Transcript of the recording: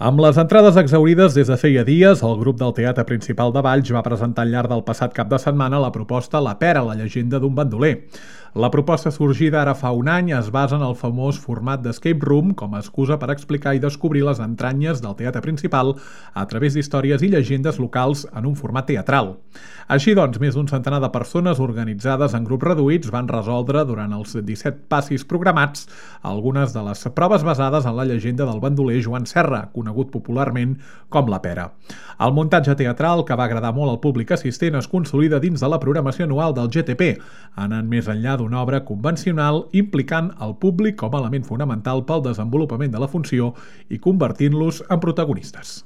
Amb les entrades exhaurides des de feia dies, el grup del Teatre Principal de Valls va presentar al llarg del passat cap de setmana la proposta La Pera, la llegenda d'un bandoler. La proposta sorgida ara fa un any es basa en el famós format d'escape room com a excusa per explicar i descobrir les entranyes del teatre principal a través d'històries i llegendes locals en un format teatral. Així doncs, més d'un centenar de persones organitzades en grups reduïts van resoldre durant els 17 passis programats algunes de les proves basades en la llegenda del bandoler Joan Serra, conegut popularment com La Pera. El muntatge teatral, que va agradar molt al públic assistent, es consolida dins de la programació anual del GTP, anant més enllà d'una obra convencional implicant el públic com a element fonamental pel desenvolupament de la funció i convertint-los en protagonistes.